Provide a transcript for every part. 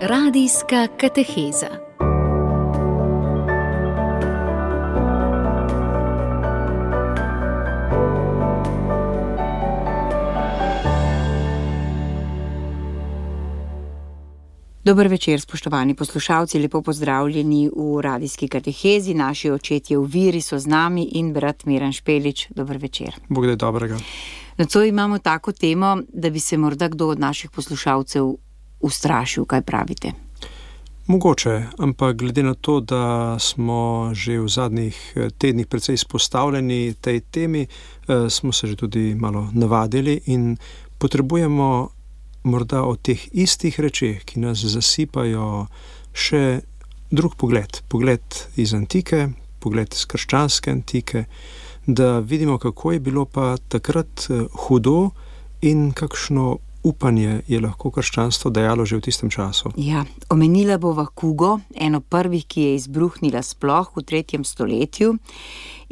Radijska kateheza. Dober večer, spoštovani poslušalci, lepo pozdravljeni v radijski katehezi. Naši očetje v viri so z nami in brat Miran Špelič. Dober večer. Bog da je dobrega. Nocoj imamo tako temo, da bi se morda kdo od naših poslušalcev ustrašil. Kaj pravite? Mogoče, ampak glede na to, da smo že v zadnjih tednih precej izpostavljeni tej temi, smo se že tudi malo navadili in potrebujemo morda o teh istih rečeh, ki nas zasipajo, še drug pogled iz antike, pogled iz krščanske antike, da vidimo, kako je bilo pa takrat hudo in kakšno upanje je lahko krščanstvo dajalo že v tistem času. Ja, omenila bova kugo, eno prvih, ki je izbruhnila sploh v 3. stoletju.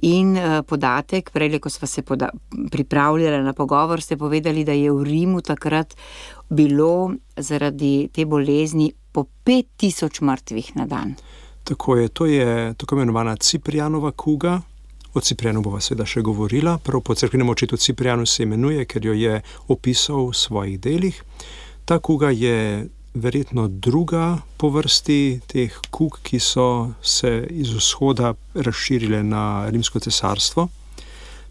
In podatek, prej, ko sva se pripravljala na pogovor, ste povedali, da je v Rimu takrat bilo zaradi te bolezni po 5000 mrtvih na dan. Tako je tako imenovana Ciprianova kuga. O Ciprianu bova seveda še govorila. Prav po cerkvenem očetu Ciprianu se imenuje, ker jo je opisal v svojih delih. Ta kuga je verjetno druga po vrsti teh kug, ki so se iz vzhoda razširile na Rimsko cesarstvo.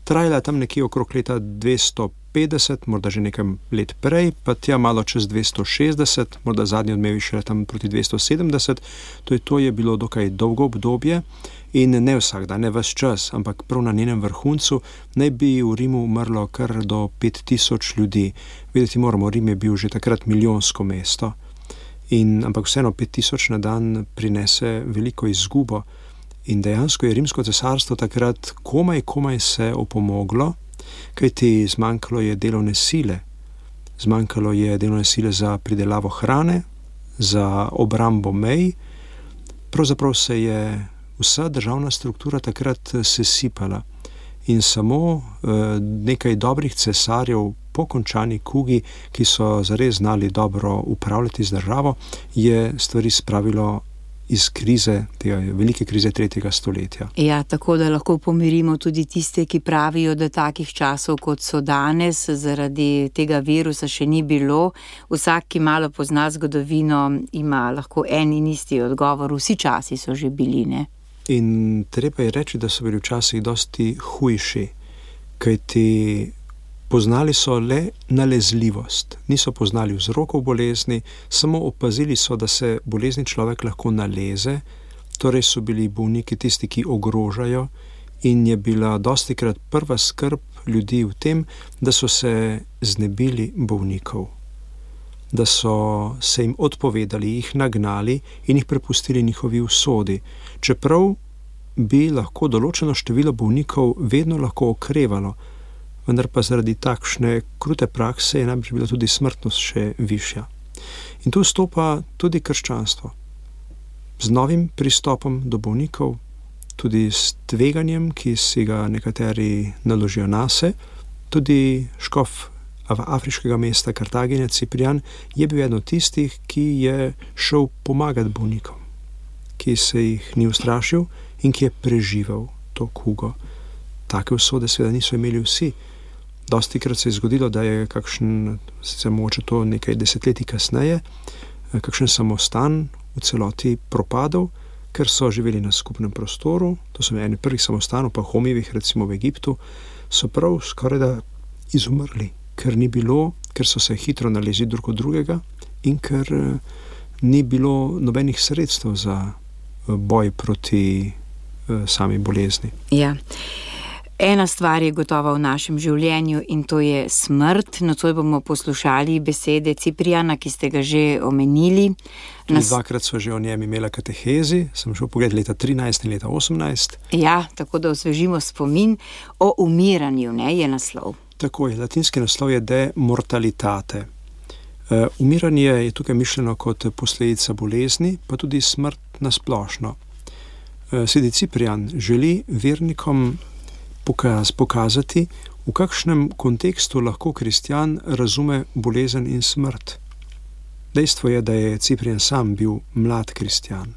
Trajala je tam nekje okrog leta 250, morda že nekaj let prej, pa tja malo čez 260, morda zadnji odmevi šele tam proti 270. To je bilo dokaj dolgo obdobje in ne vsak dan, ne ves čas, ampak prav na njenem vrhuncu naj bi v Rimu umrlo kar do 5000 ljudi. Vedeti moramo, Rim je bil že takrat milijonsko mesto. Ampak vseeno 5000 na dan prinese veliko izgubo. In dejansko je Rimsko cesarstvo takrat komaj se opomoglo, kajti zmanjkalo je delovne sile. Zmanjkalo je delovne sile za pridelavo hrane, za obrambo mej. Pravzaprav se je vsa državna struktura takrat sesipala. In samo nekaj dobrih cesarjev po končani kugi, ki so zares znali dobro upravljati z državo, je stvari spravilo iz krize, tega velike krize 3. stoletja. Ja, tako da lahko pomirimo tudi tiste, ki pravijo, da takih časov, kot so danes, zaradi tega virusa še ni bilo. Vsak, ki malo pozna zgodovino, ima lahko en in isti odgovor. Vsi časi so že bili, ne? In treba je reči, da so bili včasih dosti hujši, kajti poznali so le nalezljivost, niso poznali vzrokov bolezni, samo opazili so, da se bolezni človek lahko naleze, torej so bili bolniki tisti, ki ogrožajo, in je bila dostikrat prva skrb ljudi v tem, da so se znebili bolnikov, da so se jim odpovedali, jih nagnali in jih prepustili njihovi usodi, čeprav bi lahko določeno število bolnikov vedno lahko okrevalo, vendar pa zaradi takšne krute prakse je najbrž bila tudi smrtnost še višja. In tu vstopa tudi krščanstvo. Z novim pristopom do bolnikov, tudi s tveganjem, ki si ga nekateri naložijo nase, tudi škof afriškega mesta Kartagine, Ciprian, je bil eden od tistih, ki je šel pomagati bolnikom, ki se jih ni ustrašil in ki je preživel to kugo. Take usode seveda niso imeli vsi. Dostikrat se je zgodilo, da je kakšen, sicer mogoče to nekaj desetletij kasneje, kakšen samostan v celoti propadal, ker so živeli na skupnem prostoru. To so eni prvih samostanov, pa Homijevih, recimo v Egiptu, so prav skoraj da izumrli, ker so se hitro nalezli drug od drugega in ker ni bilo nobenih sredstev za boj proti sami bolezni. Ja. Ena stvar je gotova v našem življenju in to je smrt. Nocoj bomo poslušali besede Cipriana, ki ste ga že omenili. Dvakrat sva že o njem imela katehezi, sem šel pogled leta 13 in leta 18. Ja, tako da osvežimo spomin. O umiranju, ne, je naslov. Tako je, latinski naslov je de mortalitate. Umiranje je tukaj mišljeno kot posledica bolezni, pa tudi smrt nasplošno. Sveti Ciprian želi vernikom pokazati, v kakšnem kontekstu lahko kristjan razume bolezen in smrt. Dejstvo je, da je Ciprian sam bil mlad kristjan.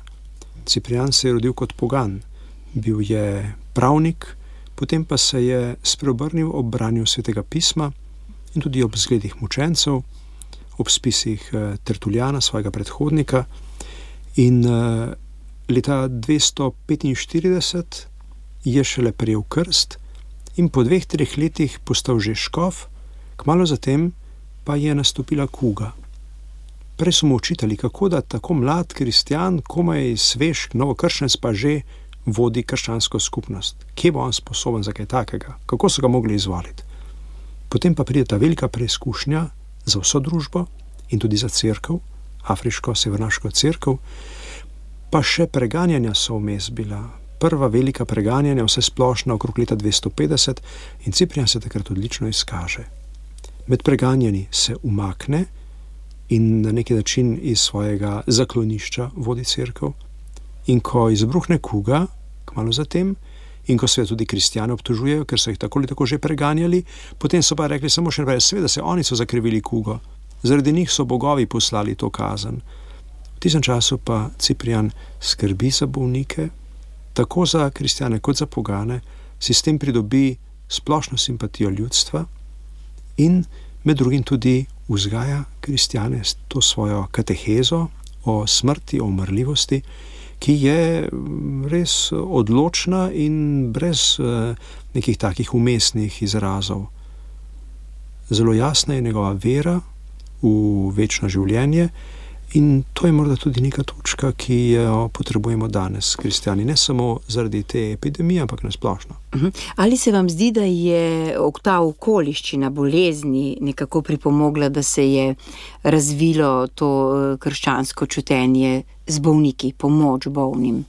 Ciprian se je rodil kot pogan, bil je pravnik, potem pa se je spreobrnil ob branju Svetega pisma in tudi ob zgledih mučencev, ob spisih Tertuliana, svojega predhodnika. In leta 245 je šele prejel krst in po 2-3 letih postal že škof, kmalu zatem pa je nastopila kuga. Prej so mu učitali, kako da tako mlad kristjan, komaj svež novokrščenec pa že vodi krščansko skupnost. Kje bo on sposoben za kaj takega? Kako so ga mogli izvoliti? Potem pa pride ta velika preizkušnja za vso družbo in tudi za cerkev, afriško, severnaško cerkev, pa še preganjanja so vmes bila. Prva velika preganjanja, vse splošna, okrog leta 250 in Ciprian se takrat odlično izkaže. Med preganjanji se umakne in na neki način iz svojega zaklonišča vodi cerkev. In ko izbruhne kuga, kmalu zatem, in ko se tudi kristjane obtožujejo, ker so jih tako ali tako že preganjali, potem so pa rekli samo še naprej, seveda se oni so zakrivili kugo. Zaradi njih so bogovi poslali to kazen. V tistem času pa Ciprian skrbi za bolnike, tako za kristjane kot za pogane, si s tem pridobi splošno simpatijo ljudstva in med drugim tudi vzgaja kristjane s to svojo katehezo o smrti, o umrljivosti, ki je res odločna in brez nekih takih umestnih izrazov. Zelo jasna je njegova vera v večno življenje in to je morda tudi neka točka, ki jo potrebujemo danes, kristjani, ne samo zaradi te epidemije, ampak nasplošno. Ali se vam zdi, da je ta okoliščina bolezni nekako pripomogla, da se je razvilo to krščansko čutenje z bolniki, pomoč bolnim?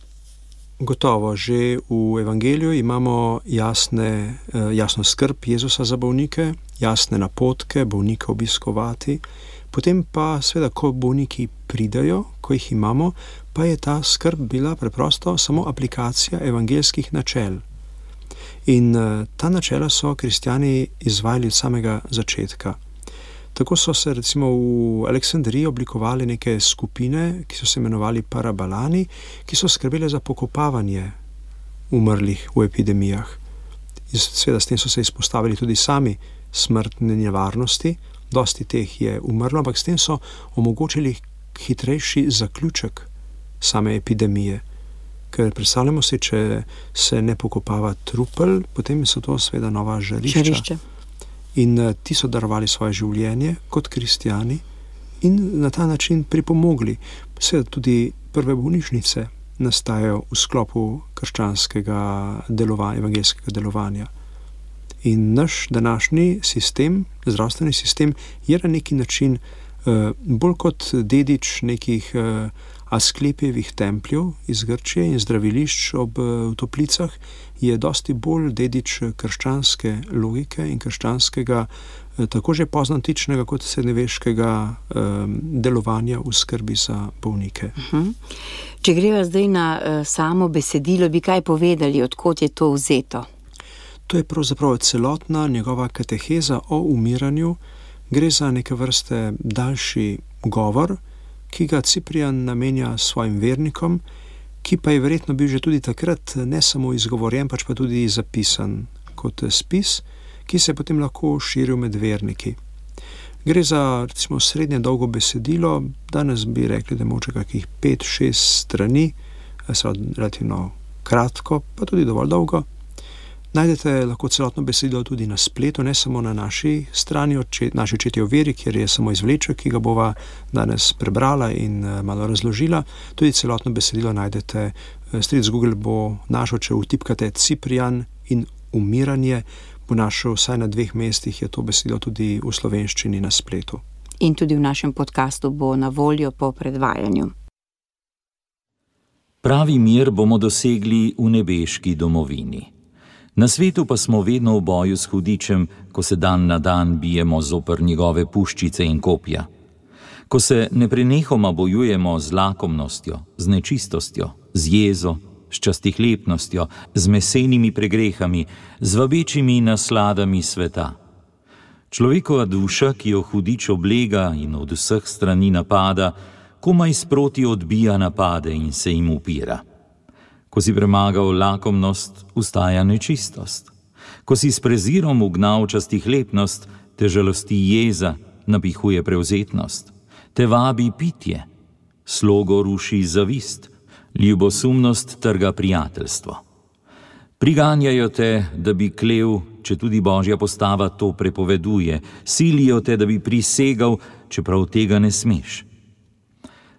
Gotovo, že v evangeliju imamo jasno skrb Jezusa za bolnike, jasne napotke bolnika obiskovati, potem pa seveda, ko bolniki pridajo, ko jih imamo, pa je ta skrb bila preprosto samo aplikacija evangeljskih načel. In ta načela so kristjani izvajali od samega začetka. Tako so se recimo v Aleksandriji oblikovali neke skupine, ki so se imenovali parabalani, ki so skrbele za pokopavanje umrlih v epidemijah. Seveda s tem so se izpostavili tudi sami smrtne nevarnosti, dosti teh je umrlo, ampak s tem so omogočili hitrejši zaključek same epidemije. Ker predstavljamo si, če se ne pokopava trupel, potem so to seveda nova žarišča. In ti so darovali svoje življenje kot kristjani in na ta način pripomogli. Seveda tudi prve bolnišnice nastajajo v sklopu krščanskega delovanja, evangeljskega delovanja. In naš današnji sistem, zdravstveni sistem, je na neki način bolj kot dedič nekih Asklepijevih templjev iz Grčije in zdravilišč ob toplicah, je dosti bolj dedič krščanske logike in krščanskega, tako že poznantičnega kot srednjeveškega delovanja v skrbi za bolnike. Če greva zdaj na samo besedilo, bi kaj povedali, odkot je to vzeto? To je pravzaprav celotna njegova kateheza o umiranju. Gre za neke vrste daljši govor, ki ga Ciprian namenja svojim vernikom, ki pa je verjetno bil že tudi takrat ne samo izgovorjen, pač pa tudi zapisan kot spis, ki se je potem lahko širil med verniki. Gre za recimo srednje dolgo besedilo, danes bi rekli, da moče kakih 5-6 strani, relativno kratko, pa tudi dovolj dolgo. Najdete lahko celotno besedilo tudi na spletu, ne samo na naši strani, naši očetje o veri, kjer je samo izvleček, ki ga bova danes prebrala in malo razložila. Tudi celotno besedilo najdete, stric Google bo našel, če vtipkate Ciprian in umiranje, bo našel vsaj na 2 mestih, je to besedilo tudi v slovenščini na spletu. In tudi v našem podcastu bo na voljo po predvajanju. Pravi mir bomo dosegli v nebeški domovini. Na svetu pa smo vedno v boju s hudičem, ko se dan na dan bijemo zoper njegove puščice in kopja. Ko se neprenehoma bojujemo z lakomnostjo, z nečistostjo, z jezo, s častihlepnostjo, z mesenimi pregrehami, z vabečimi nasladami sveta. Človekova duša, ki jo hudič oblega in od vseh strani napada, komaj sproti odbija napade in se jim upira. Ko si premagal lakomnost, ustaja nečistost. Ko si s prezirom ugnal častihlepnost, te žalosti jeza, napihuje prevzetnost. Te vabi pitje, slogo ruši zavist, ljubosumnost trga prijateljstvo. Priganjajo te, da bi klev, če tudi Božja postava to prepoveduje, silijo te, da bi prisegal, čeprav tega ne smeš.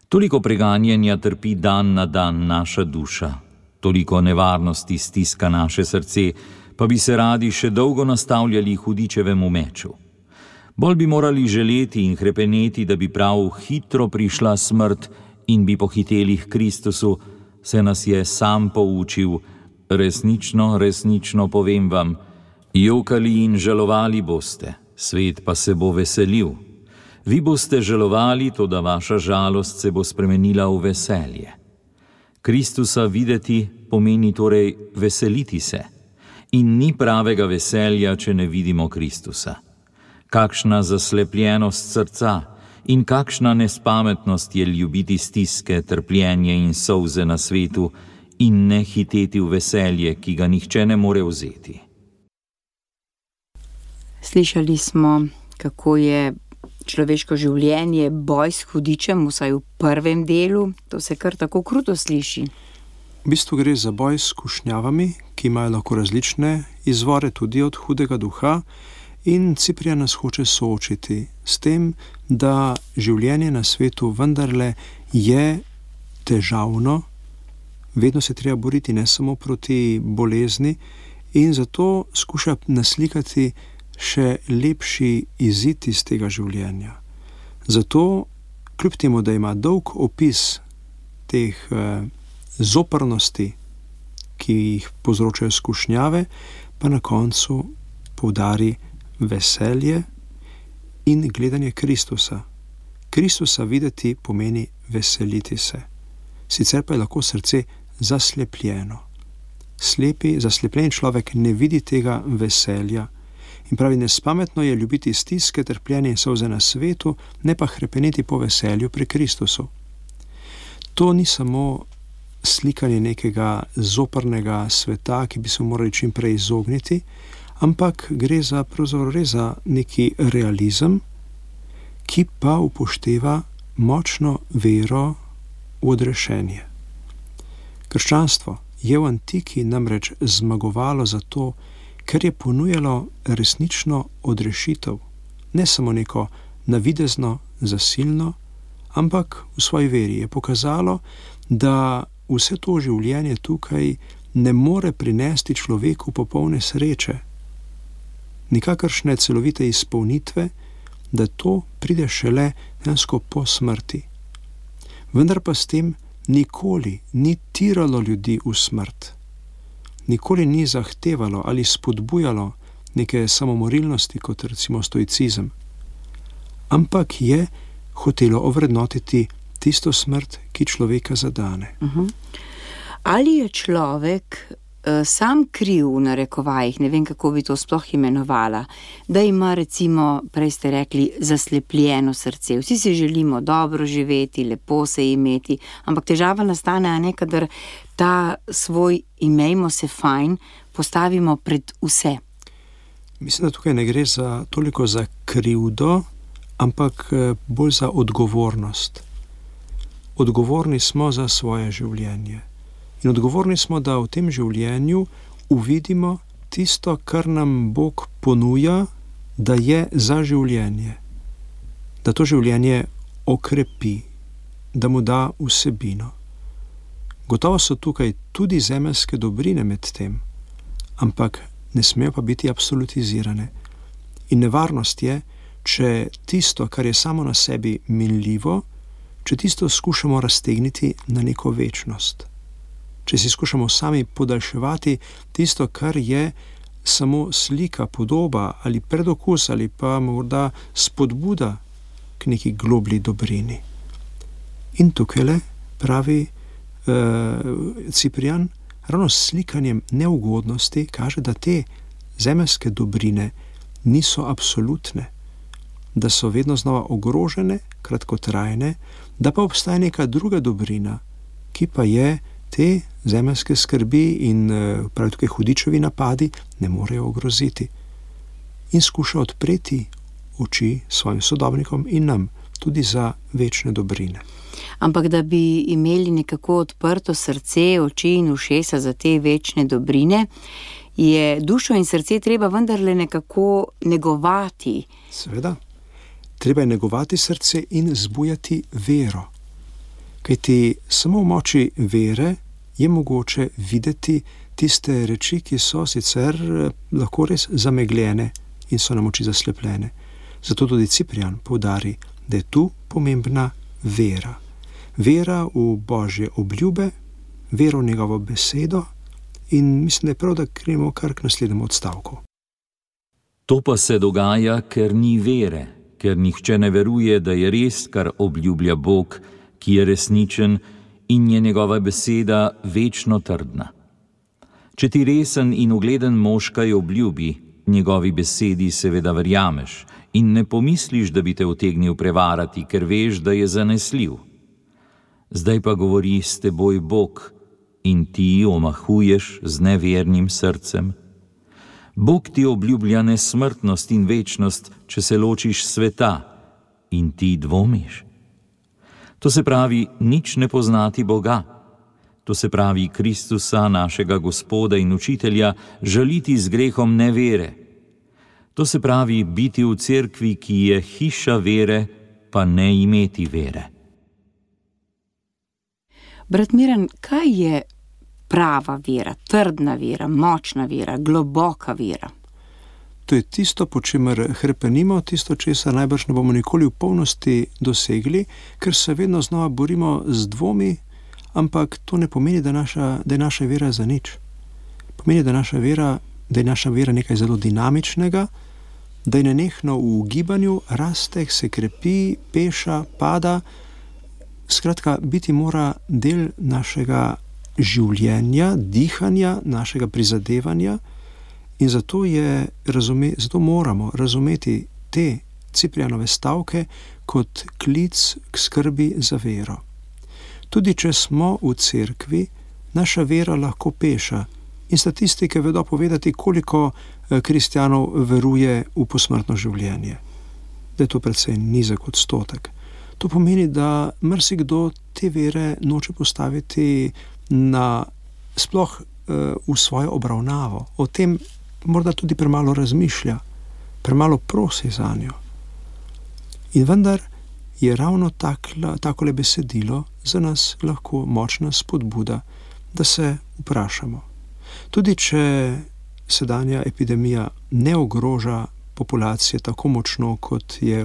Toliko preganjanja trpi dan na dan naša duša, toliko nevarnosti stiska naše srce, pa bi se radi še dolgo nastavljali hudičevemu meču. Bolj bi morali želeti in hrepeneti, da bi prav hitro prišla smrt in bi pohiteli k Kristusu, se nas je sam poučil, resnično, resnično povem vam, jokali in žalovali boste, svet pa se bo veselil. Vi boste žalovali, toda vaša žalost se bo spremenila v veselje. Kristusa videti pomeni torej veseliti se. In ni pravega veselja, če ne vidimo Kristusa. Kakšna zaslepljenost srca in kakšna nespametnost je ljubiti stiske, trpljenje in solze na svetu in ne hiteti v veselje, ki ga nihče ne more vzeti. Slišali smo, kako je človeško življenje boj s hudičem, vsaj v prvem delu. To se kar tako kruto sliši. V bistvu gre za boj s skušnjavami, ki imajo lahko različne izvore tudi od hudega duha, in Ciprian nas hoče soočiti s tem, da življenje na svetu vendarle je težavno, vedno se treba boriti ne samo proti bolezni, in zato skuša naslikati še lepši izid iz tega življenja. Zato, kljub temu, da ima dolg opis teh zoprnosti, ki jih povzročajo skušnjave, pa na koncu poudari veselje in gledanje Kristusa. Kristusa videti pomeni veseliti se. Sicer pa je lahko srce zaslepljeno. Zaslepljen človek ne vidi tega veselja in pravi, nespametno je ljubiti stiske, trpljenje in solze na svetu, ne pa hrepeneti po veselju pri Kristusu. To ni samo slikanje nekega zoprnega sveta, ki bi se morali čim prej izogniti, ampak gre pravzaprav za neki realizem, ki pa upošteva močno vero v odrešenje. Krščanstvo je v antiki namreč zmagovalo zato, ker je ponujalo resnično odrešitev, ne samo neko navidezno, zasilno, ampak v svoji veri je pokazalo, da vse to življenje tukaj ne more prinesti človeku popolne sreče, nikakršne celovite izpolnitve, da to pride šele dejansko po smrti. Vendar pa s tem nikoli ni tiralo ljudi v smrt, nikoli ni zahtevalo ali spodbujalo neke samomorilnosti, kot recimo stoicizem, ampak je hotelo ovrednotiti tisto smrt, ki človeka zadane. Ali je človek sam kriv, v narekovajih, ne vem, kako bi to sploh imenovala, da ima recimo, prej ste rekli, zaslepljeno srce. Vsi si želimo dobro živeti, lepo se imeti, ampak težava nastane, a ne, kadar ta svoj imejmo se fajn postavimo pred vse. Mislim, da tukaj ne gre toliko za krivdo, ampak bolj za odgovornost. Odgovorni smo za svoje življenje. In odgovorni smo, da v tem življenju uvidimo tisto, kar nam Bog ponuja, da je za življenje. Da to življenje okrepi, da mu da vsebino. Gotovo so tukaj tudi zemeljske dobrine med tem, ampak ne smejo pa biti absolutizirane. In nevarnost je, če tisto, kar je samo na sebi minljivo, če tisto skušamo raztegniti na neko večnost. Če si skušamo sami podaljševati tisto, kar je samo slika, podoba ali predokus ali pa morda spodbuda k neki globlji dobrini. In tukaj pravi Ciprian, ravno s slikanjem neugodnosti kaže, da te zemeljske dobrine niso absolutne, da so vedno znova ogrožene, kratkotrajne, da pa obstaja neka druga dobrina, ki pa je te zemeljske skrbi in pravi tukaj hudičevi napadi ne morejo ogroziti. In skuša odpreti oči svojim sodobnikom in nam tudi za večne dobrine. Ampak da bi imeli nekako odprto srce, oči in ušesa za te večne dobrine, je dušo in srce treba vendarle nekako negovati. Seveda, treba je negovati srce in zbujati vero. Kajti samo v moči vere je mogoče videti tiste reči, ki so sicer lahko res zamegljene in so nam oči zaslepljene. Zato tudi Ciprian poudari, da je tu pomembna vera. Vera v Božje obljube, vera v njegovo besedo in mislim, da je prav, da gremo kar k naslednjemu odstavku. To pa se dogaja, ker ni vere, ker nihče ne veruje, da je res, kar obljublja Bog, ki je resničen in je njegova beseda večno trdna. Če ti resen in ugleden mož kaj obljubi, njegovi besedi seveda verjameš in ne pomisliš, da bi te utegnil prevarati, ker veš, da je zanesljiv. Zdaj pa govori s teboj Bog in ti omahuješ z nevernim srcem. Bog ti obljublja nesmrtnost in večnost, če se ločiš sveta in ti dvomiš. To se pravi, nič ne poznati Boga. To se pravi, Kristusa, našega Gospoda in Učitelja, žaliti z grehom nevere. To se pravi, biti v cerkvi, ki je hiša vere, pa ne imeti vere. Brat Miran, kaj je prava vera, trdna vera, močna vera, globoka vera? To je tisto, po čemer hrepenimo, tisto, česar najbrž ne bomo nikoli v polnosti dosegli, ker se vedno znova borimo z dvomi, ampak to ne pomeni, da je naša vera za nič. Pomeni, da je naša vera nekaj zelo dinamičnega, da je nenehno v gibanju, raste, se krepi, peša, pada. Skratka, biti mora del našega življenja, dihanja, našega prizadevanja in zato moramo razumeti te Ciprianove stavke kot klic k skrbi za vero. Tudi če smo v cerkvi, naša vera lahko peša in statistike vedo povedati, koliko kristjanov veruje v posmrtno življenje. Da je to precej nizek odstotek. To pomeni, da marsikdo te vere noče postaviti sploh v svojo obravnavo. O tem morda tudi premalo razmišlja, premalo prosi za njo. In vendar je ravno takole besedilo za nas lahko močna spodbuda, da se vprašamo. Tudi če sedanja epidemija ne ogroža populacije tako močno, kot je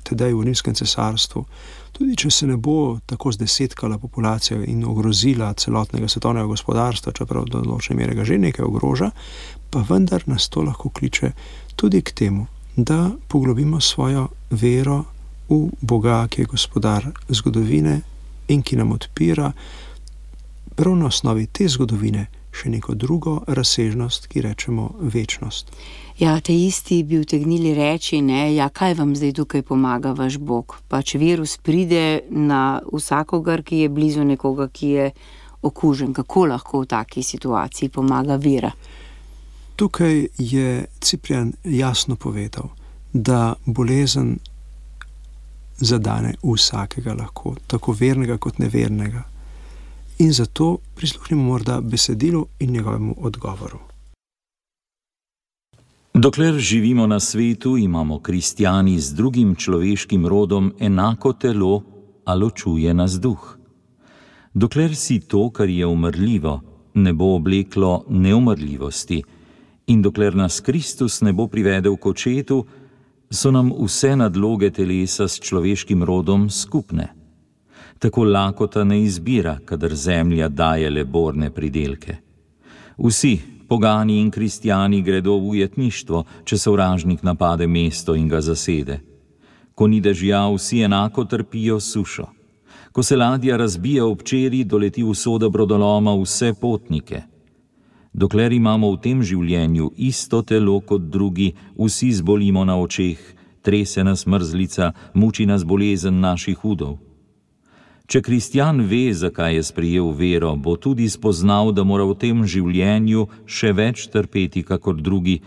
tedaj v Rimskem cesarstvu, tudi če se ne bo tako zdesetkala populacija in ogrozila celotnega svetovnega gospodarstva, čeprav do določene mere ga že nekaj ogroža, pa vendar nas to lahko kliče tudi k temu, da poglobimo svojo vero v Boga, ki je gospodar zgodovine in ki nam odpira prav na osnovi te zgodovine še neko drugo razsežnost, ki rečemo večnost. Ja, te isti bi utegnili reči, kaj vam zdaj tukaj pomaga vaš Bog? Pač virus pride na vsakogar, ki je blizu nekoga, ki je okužen. Kako lahko v taki situaciji pomaga vera? Tukaj je Ciprian jasno povedal, da bolezen zadane vsakega lahko, tako vernega kot nevernega. In zato prisluhnimo morda besedilu in njegovemu odgovoru. Dokler živimo na svetu, imamo kristjani z drugim človeškim rodom enako telo, a ločuje nas duh. Dokler si to, kar je umrljivo, ne bo obleklo neumrljivosti in dokler nas Kristus ne bo privedel k očetu, so nam vse nadloge telesa s človeškim rodom skupne. Tako lakota ne izbira, kadar zemlja daje le borne pridelke. Vsi, pogani in kristjani, gredo v ujetništvo, če sovražnik napade mesto in ga zasede. Ko ni dežja, vsi enako trpijo sušo. Ko se ladja razbija ob čeri, doleti usoda brodoloma vse potnike. Dokler imamo v tem življenju isto telo kot drugi, vsi zbolimo na očeh, trese nas mrzlica, muči nas bolezen naših udov. Če kristjan ve, zakaj je sprejel vero, bo tudi spoznal, da mora v tem življenju še več trpeti kakor drugi,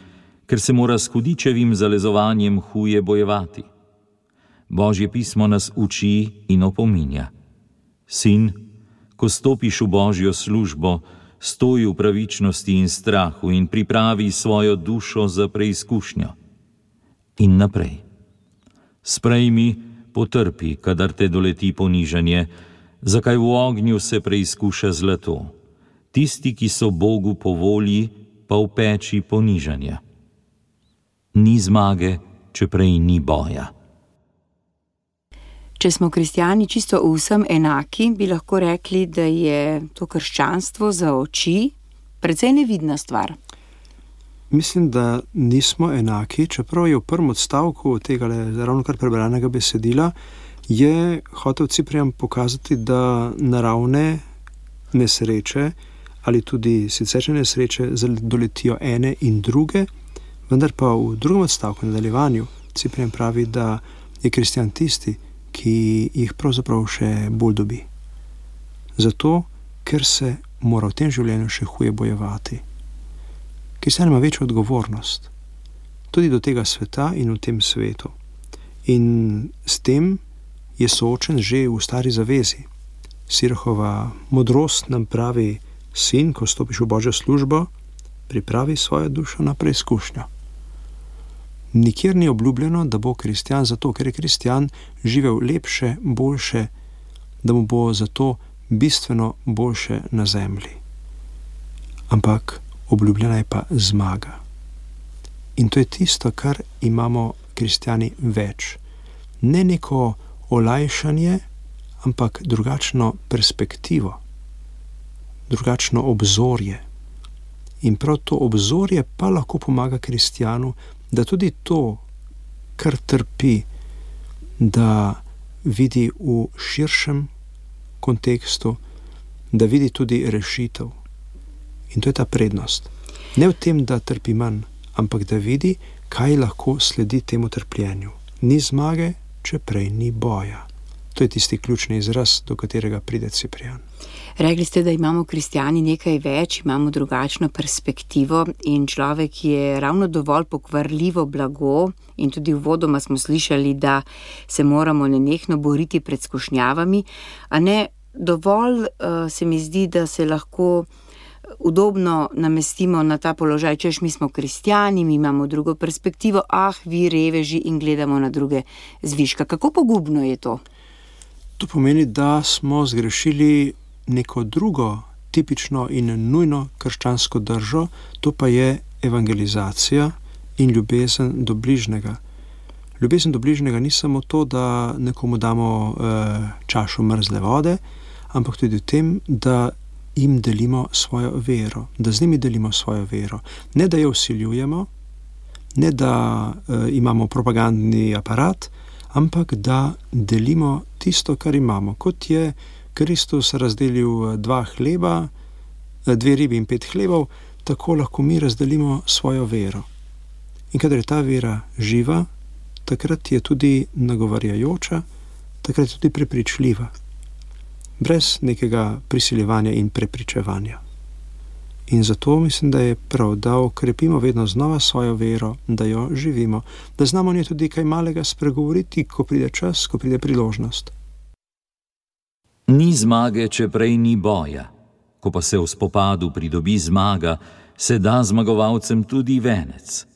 ker se mora s hudičevim zalezovanjem huje bojevati. Božje pismo nas uči in opominja. Sin, ko stopiš v Božjo službo, stoj v pravičnosti in strahu in pripravi svojo dušo za preizkušnjo. In naprej. Sprejmi, potrpi, kadar te doleti ponižanje, zakaj v ognju se preizkuša zlato. Tisti, ki so Bogu po volji, pa v peči ponižanja. Ni zmage, če prej ni boja. Če smo kristjani čisto vsem enaki, bi lahko rekli, da je to krščanstvo za oči precej nevidna stvar. Mislim, da nismo enaki, čeprav je v prvem odstavku tega ravno kar prebranega besedila, je hotel Ciprian pokazati, da naravne nesreče ali tudi siceršnje nesreče doletijo ene in druge, vendar pa v drugem odstavku, nadaljevanju, Ciprian pravi, da je kristjan tisti, ki jih pravzaprav še bolj dobi. Zato, ker se mora v tem življenju še huje bojevati. Kristjan ima večjo odgovornost, tudi do tega sveta in v tem svetu. In s tem je soočen že v stari zavezi. Sirahova modrost nam pravi: sin, ko stopiš v Božjo službo, pripravi svojo dušo na preizkušnjo. Nikjer ni obljubljeno, da bo kristjan zato, ker je kristjan živel lepše, boljše, da mu bo zato bistveno boljše na zemlji. Ampak obljubljena je pa zmaga. In to je tisto, kar imamo kristjani več. Ne neko olajšanje, ampak drugačno perspektivo, drugačno obzorje. In prav to obzorje pa lahko pomaga kristjanu, da tudi to, kar trpi, da vidi v širšem kontekstu, da vidi tudi rešitev. In to je ta prednost. Ne v tem, da trpi manj, ampak da vidi, kaj lahko sledi temu trpljenju. Ni zmage, če prej ni boja. To je tisti ključni izraz, do katerega pride Ciprian. Rekli ste, da imamo kristjani nekaj več, imamo drugačno perspektivo in človek je ravno dovolj pokvarljivo blago in tudi uvodoma smo slišali, da se moramo nenehno boriti pred skušnjavami, a ne dovolj se mi zdi, da se lahko udobno namestimo na ta položaj, češ mi smo kristjani, mi imamo drugo perspektivo, vi reveži, in gledamo na druge zviška. Kako pogubno je to? To pomeni, da smo zgrešili neko drugo tipično in nujno krščansko držo, to pa je evangelizacija in ljubezen do bližnjega. Ljubezen do bližnjega ni samo to, da nekomu damo čašo mrzle vode, ampak tudi v tem, da jim delimo svojo vero, da z njimi delimo svojo vero. Ne, da jo vsiljujemo, ne, da imamo propagandni aparat, ampak da delimo tisto, kar imamo. Kot je Kristus razdelil 2 hleba, 2 ribi in 5 hlebov, tako lahko mi razdelimo svojo vero. In kadar je ta vera živa, takrat je tudi nagovarjajoča, takrat je tudi prepričljiva. Brez nekega prisiljevanja in prepričevanja. In zato mislim, da je prav, da okrepimo vedno znova svojo vero, da jo živimo, da znamo nje tudi kaj malega spregovoriti, ko pride čas, ko pride priložnost. Ni zmage, če prej ni boja. Ko pa se v spopadu pridobi zmaga, se da zmagovalcem tudi venec.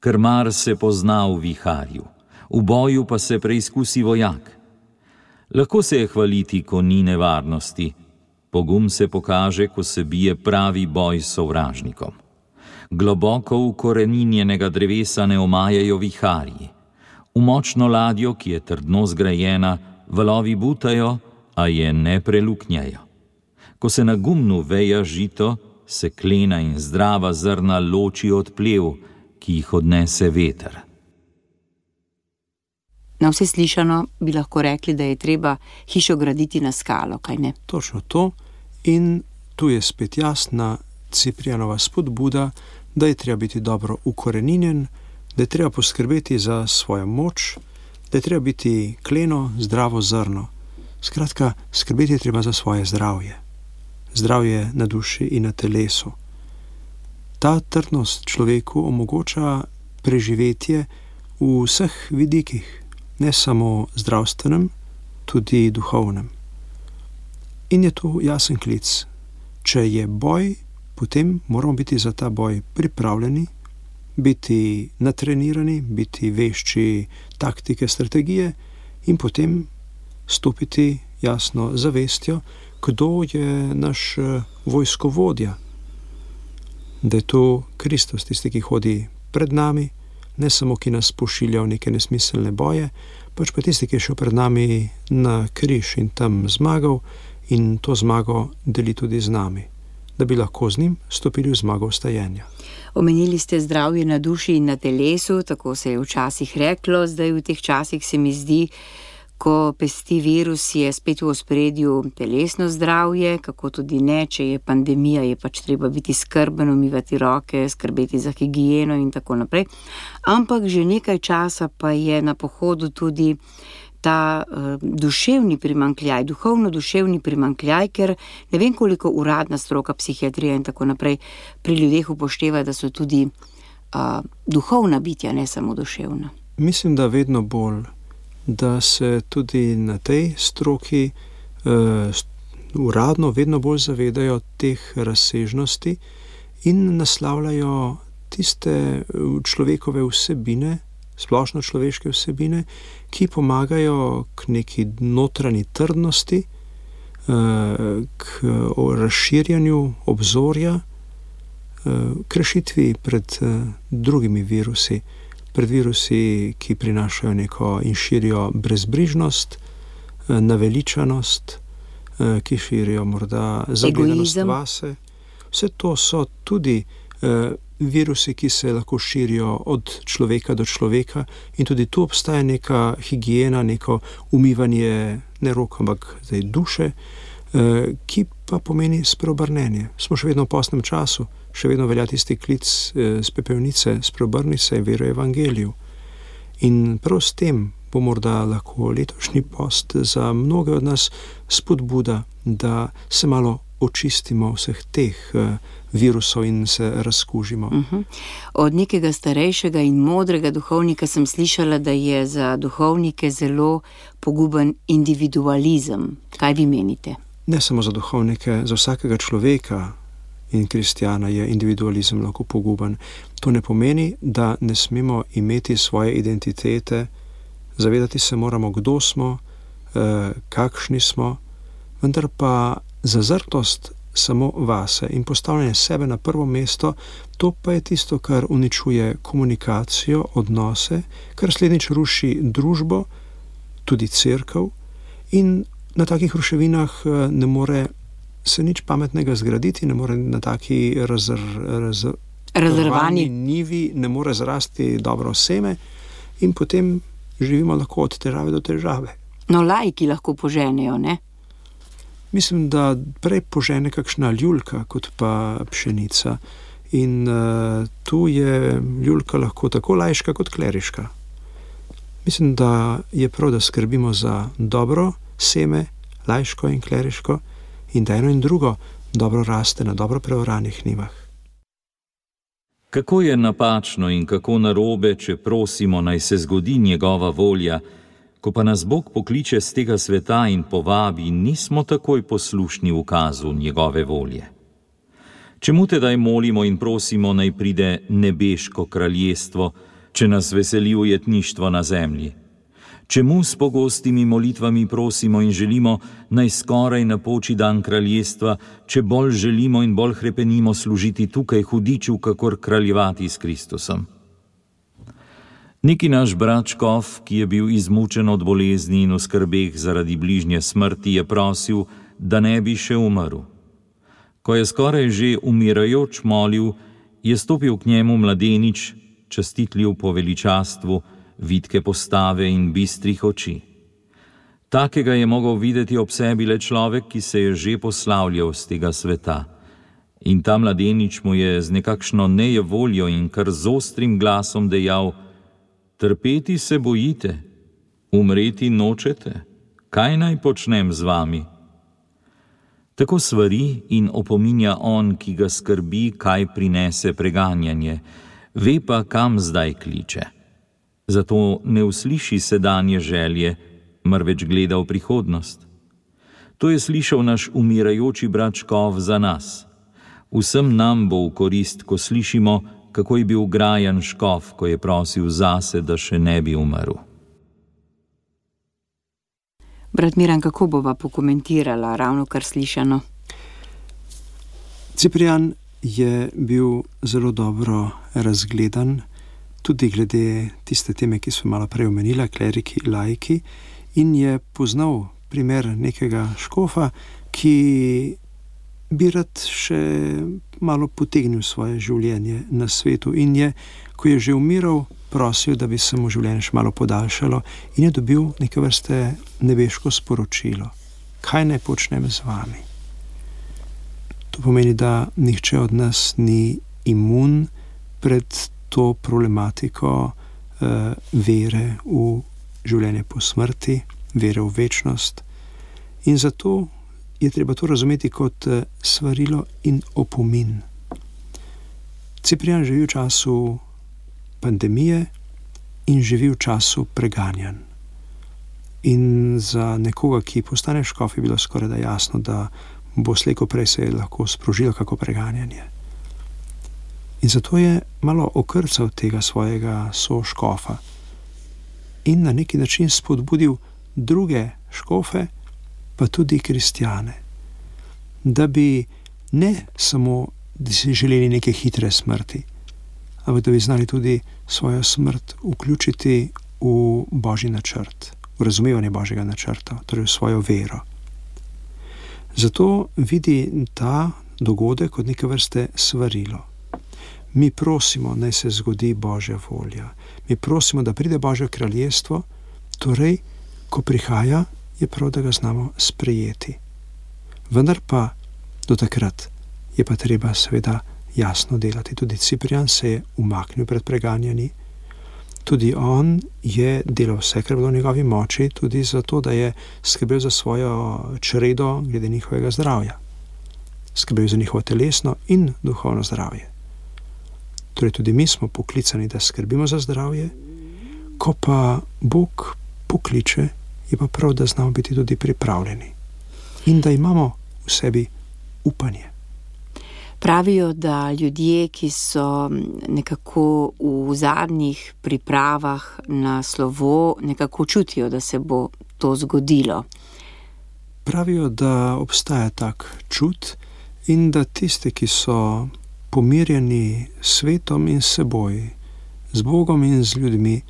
Krmar se pozna v viharju, v boju pa se preizkusi vojak. Lahko se je hvaliti, ko ni nevarnosti. Pogum se pokaže, ko se bije pravi boj s sovražnikom. Globoko ukoreninjenega drevesa ne omajajo viharji. V močno ladjo, ki je trdno zgrajena, valovi butajo, a je ne preluknjajo. Ko se na gumnu veja žito, se klena in zdrava zrna loči od plev, ki jih odnese veter. Na vse slišano bi lahko rekli, da je treba hišo graditi na skalo, kaj ne? Točno to. In tu je spet jasna Ciprianova spodbuda, da je treba biti dobro ukoreninjen, da je treba poskrbeti za svojo moč, da je treba biti kleno, zdravo zrno. Skratka, skrbeti je treba za svoje zdravje. Zdravje na duši in na telesu. Ta trdnost človeku omogoča preživetje v vseh vidikih, ne samo zdravstvenem, tudi duhovnem. In je tu jasen klic. Če je boj, potem moramo biti za ta boj pripravljeni, biti natrenirani, biti vešči taktike, strategije in potem stopiti jasno zavestjo, kdo je naš vojskovodja. Da je to Kristus, tisti, ki hodi pred nami, ne samo, ki nas pošilja v neke nesmiselne boje, pač pa tisti, ki je šel pred nami na križ in tam zmagal in to zmago deli tudi z nami, da bi lahko z njim stopili v zmago vstajenja. Omenili ste zdravje na duši in na telesu, tako se je včasih reklo, zdaj v teh časih se mi zdi, ko pesti virus, je spet v ospredju telesno zdravje, kako tudi ne, če je pandemija, je pač treba biti skrben, umivati roke, skrbeti za higieno in tako naprej. Ampak že nekaj časa pa je na pohodu tudi ta duševni primanjkljaj, duhovno-duševni primanjkljaj, ker ne vem, koliko uradna stroka, psihiatrija in tako naprej pri ljudeh upošteva, da so tudi duhovna bitja, ne samo duševna. Mislim, da vedno bolj, da se tudi na tej stroki uradno vedno bolj zavedajo teh razsežnosti in naslavljajo tiste človekove vsebine, splošno človeške vsebine, ki pomagajo k neki notranji trdnosti, k razširjanju obzorja, k rešitvi pred drugimi virusi, pred virusi, ki prinašajo neko in širijo brezbrižnost, naveličanost, ki širijo morda zavedanost vase. Vse to so tudi virusi, ki se lahko širijo od človeka do človeka in tudi tu obstaja neka higiena, neko umivanje ne rok, ampak duše, ki pa pomeni spreobrnenje. Smo še vedno v postnem času, še vedno velja tisti klic z pepelnice, spreobrni se, veruj evangeliju. In prav s tem bo morda lahko letošnji post za mnoge od nas spodbuda, da se malo očistimo vseh teh virusov in se razkužimo. Od nekega starejšega in modrega duhovnika sem slišala, da je za duhovnike zelo poguben individualizem. Kaj vi menite? Ne samo za duhovnike, za vsakega človeka in kristjana je individualizem lahko poguben. To ne pomeni, da ne smemo imeti svoje identitete, zavedati se moramo, kdo smo, kakšni smo, vendar pa zazrtost samo vase in postavljanje sebe na prvo mesto, to pa je tisto, kar uničuje komunikacijo, odnose, kar slednjič ruši družbo, tudi cerkev, in na takih ruševinah ne more se nič pametnega zgraditi, ne more na taki razrvani nivi ne more zrasti dobro seme in potem živimo lahko od težave do težave. No, laiki lahko poženejo, ne? Mislim, da prej požene kakšna ljuljka, kot pa pšenica. In tu je ljuljka lahko tako laiška kot kleriška. Mislim, da je prav, da skrbimo za dobro seme, laiško in kleriško, in da eno in drugo dobro raste na dobro preoranih njivah. Kako je napačno in kako narobe, če prosimo, naj se zgodi njegova volja, ko pa nas Bog pokliče z tega sveta in povabi, nismo takoj poslušni ukazu njegove volje. Čemu tedaj molimo in prosimo, naj pride nebeško kraljestvo, če nas veseli ujetništvo na zemlji? Čemu s pogostimi molitvami prosimo in želimo, naj skoraj napoči dan kraljestva, če bolj želimo in bolj hrepenimo služiti tukaj hudiču, kakor kraljevati s Kristusom? Neki naš brat škof, ki je bil izmučen od bolezni in v skrbeh zaradi bližnje smrti, je prosil, da ne bi še umrl. Ko je skoraj že umirajoč molil, je stopil k njemu mladenič, častitljiv po veličastvu, vitke postave in bistrih oči. Takega je mogel videti ob sebi le človek, ki se je že poslavljal z tega sveta. In ta mladenič mu je z nekakšno nejevoljo in kar z ostrim glasom dejal: trpeti se bojite, umreti nočete, kaj naj počnem z vami? Tako svari in opominja on, ki ga skrbi, kaj prinese preganjanje, ve pa, kam zdaj kliče. Zato ne usliši sedanje želje, marveč gleda v prihodnost. To je slišal naš umirajoči brat škof za nas. Vsem nam bo v korist, ko slišimo, kako je bil grajan škof, ko je prosil zase, da še ne bi umrl. Brat Miran, kako bova pokomentirala ravno kar slišano? Ciprijan je bil zelo dobro razgledan, tudi glede tiste teme, ki smo malo prej omenila, kleriki, laiki, in je poznal primer nekega škofa, ki bi rad še malo potegnil svoje življenje na svetu in je, ko je že umiral, prosil, da bi se mu življenje še malo podaljšalo in je dobil neke vrste nebeško sporočilo. Kaj naj počnem z vami? To pomeni, da nihče od nas ni imun pred to problematiko vere v življenje po smrti, vere v večnost. In zato je treba to razumeti kot svarilo in opomin. Ciprijan živi v času pandemije in živi v času preganjanj. In za nekoga, ki postane škof, je bilo skoraj da jasno, da bo slej ko prej se lahko sprožilo kako preganjanje. In zato je malo okrcal tega svojega soškofa in na neki način spodbudil druge škofe, pa tudi kristjane, da bi ne samo da si želeli neke hitre smrti, ampak da bi znali tudi svojo smrt vključiti v Božji načrt, v razumevanje Božjega načrta, torej v svojo vero. Zato vidi ta dogodek kot neke vrste svarilo. Mi prosimo, naj se zgodi Božja volja. Mi prosimo, da pride Božje kraljestvo, torej, ko prihaja, je prav, da ga znamo sprejeti. Vendar pa do takrat je pa treba seveda jasno delati. Tudi Ciprijan se je umaknil pred preganjanji, tudi on je delal vse, kar bilo v njegovi moči, tudi zato, da je skrbel za svojo čredo glede njihovega zdravja. Skrbel za njihovo telesno in duhovno zdravje. Torej tudi mi smo poklicani, da skrbimo za zdravje, ko pa Bog pokliče, je pa prav, da znamo biti tudi pripravljeni in da imamo v sebi upanje. Pravijo, da ljudje, ki so nekako v zadnjih pripravah na slovo, nekako čutijo, da se bo to zgodilo. Pravijo, da obstaja tak čut in da tisti, ki so pomirjeni s svetom in s seboj, z Bogom in z ljudmi,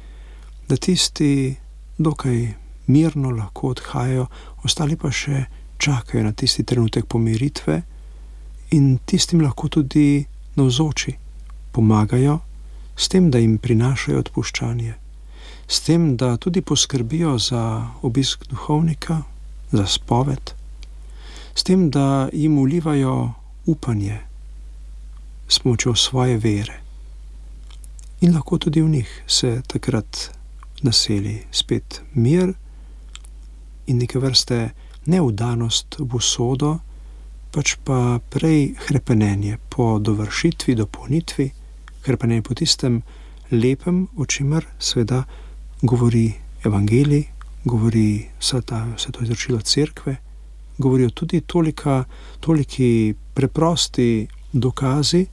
da tisti dokaj mirno lahko odhajajo, ostali pa še čakajo na tisti trenutek pomiritve in tistim lahko tudi navzoči pomagajo s tem, da jim prinašajo odpuščanje, s tem, da tudi poskrbijo za obisk duhovnika, za spoved, s tem, da jim vlivajo upanje s pomočjo svoje vere. In lahko tudi v njih se takrat naseli spet mir in neke vrste neudanost v usodo, pač pa prej hrepenenje po dovršitvi, dopolnitvi, hrepenenje po tistem lepem, o čemer seveda govori evangelij, govori vse to izročilo cerkve, govorijo tudi toliki preprosti dokazi,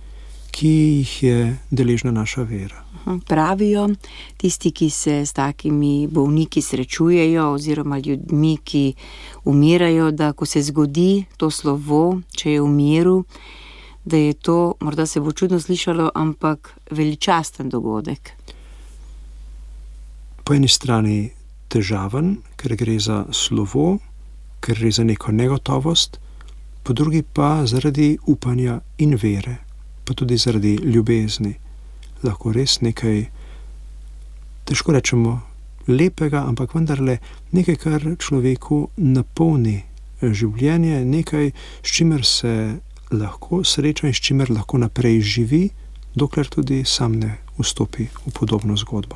ki jih je deležna naša vera. Pravijo tisti, ki se s takimi bolniki srečujejo oziroma ljudmi, ki umirajo, da ko se zgodi to slovo, če je v miru, da je to, morda se bo čudno slišalo, ampak veličasten dogodek. Po eni strani težaven, ker gre za slovo, ker gre za neko negotovost, po drugi pa zaradi upanja in vere, pa tudi zaradi ljubezni. Lahko res nekaj, težko rečemo, lepega, ampak vendarle nekaj, kar človeku napolni življenje, nekaj, s čimer se lahko sreča in s čimer lahko naprej živi, dokler tudi sam ne vstopi v podobno zgodbo.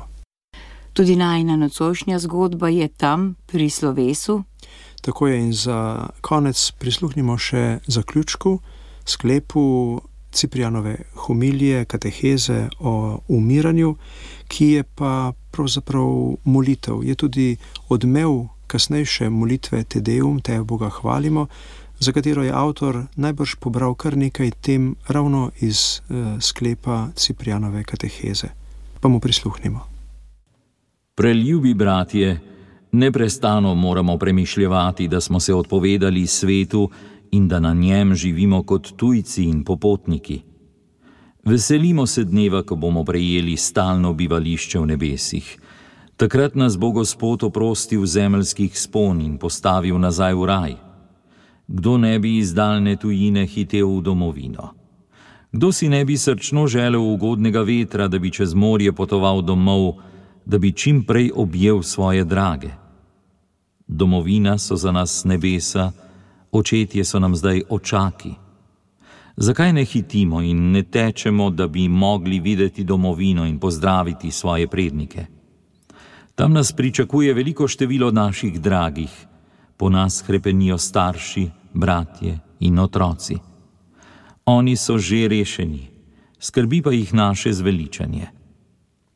Tudi najina nocojšnja zgodba je tam pri slovesu. Tako je, in za konec prisluhnimo še zaključku, sklepu Ciprijanove homilije, kateheze o umiranju, ki je pa pravzaprav molitev. Je tudi odmev kasnejše molitve Te Deum, Te Boga hvalimo, za katero je avtor najbrž pobral kar nekaj tem ravno iz sklepa Ciprijanove kateheze. Pa mu prisluhnimo. Preljubi bratje, neprestano moramo premišljevati, da smo se odpovedali svetu in da na njem živimo kot tujci in popotniki. Veselimo se dneva, ko bomo prejeli stalno bivališče v nebesih. Takrat nas bo Gospod oprostil zemeljskih spon in postavil nazaj v raj. Kdo ne bi iz daljne tujine hitel v domovino? Kdo si ne bi srčno želel ugodnega vetra, da bi čez morje potoval domov, da bi čim prej objel svoje drage? Domovina so za nas nebesa, očetje so nam zdaj očaki. Zakaj ne hitimo in ne tečemo, da bi mogli videti domovino in pozdraviti svoje prednike? Tam nas pričakuje veliko število naših dragih, po nas hrepenijo starši, bratje in otroci. Oni so že rešeni, skrbi pa jih naše zveličanje.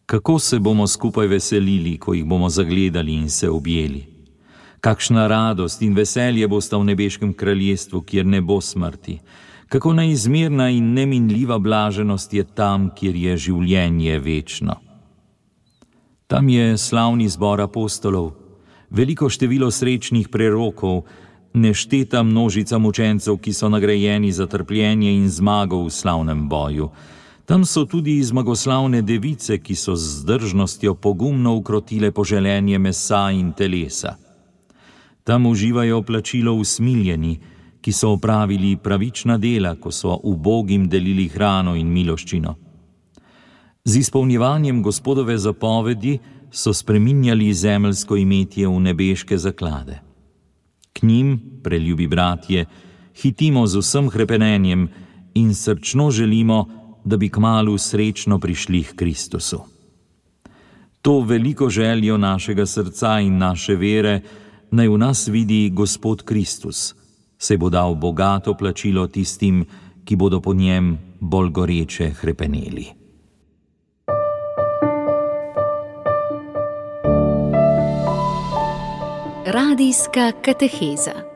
Kako se bomo skupaj veselili, ko jih bomo zagledali in se objeli? Kakšna radost in veselje bosta v nebeškem kraljestvu, kjer ne bo smrti. Kako neizmerna in neminljiva blaženost je tam, kjer je življenje večno. Tam je slavni zbor apostolov, veliko število srečnih prerokov, nešteta množica mučencev, ki so nagrajeni za trpljenje in zmago v slavnem boju. Tam so tudi zmagoslavne device, ki so z zdržnostjo pogumno ukrotile poželenje mesa in telesa. Tam uživajo plačilo usmiljeni, ki so opravili pravična dela, ko so ubogim delili hrano in miloščino. Z izpolnjevanjem Gospodove zapovedi so spreminjali zemeljsko imetje v nebeške zaklade. K njim, preljubi bratje, hitimo z vsem hrepenenjem in srčno želimo, da bi kmalu srečno prišli k Kristusu. To veliko željo našega srca in naše vere naj v nas vidi Gospod Kristus, saj bo dal bogato plačilo tistim, ki bodo po njem bolj goreče hrepeneli. Radijska kateheza.